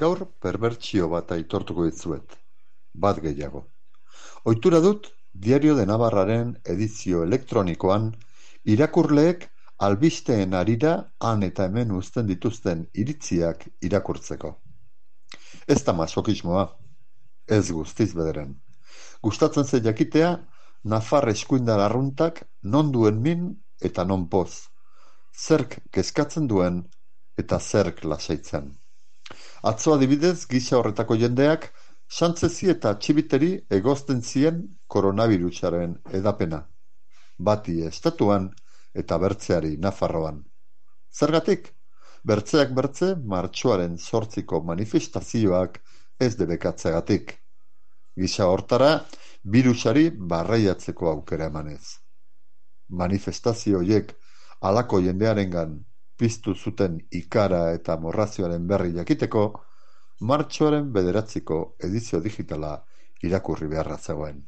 Gaur perbertsio bat aitortuko dizuet, bat gehiago. Ohitura dut Diario de Navarraren edizio elektronikoan irakurleek albisteen harira han eta hemen uzten dituzten iritziak irakurtzeko. Ez da masokismoa, ez guztiz bederen. Gustatzen zait jakitea nafar eskuindar arruntak non duen min eta non poz, zerk kezkatzen duen eta zerk lasaitzen. Atzo adibidez gisa horretako jendeak Santzezi eta Txibiteri egozten zien koronavirusaren edapena, bati estatuan eta bertzeari Nafarroan. Zergatik? Bertzeak bertze martxoaren 8ko manifestazioak ez debekatzeagatik. Gisa hortara, birusari barreiatzeko aukera emanez. Manifestazio horiek halako jendearengan piztu zuten ikara eta morrazioaren berri jakiteko, martxoaren 9ko edizio digitala irakurri beharra zegoen.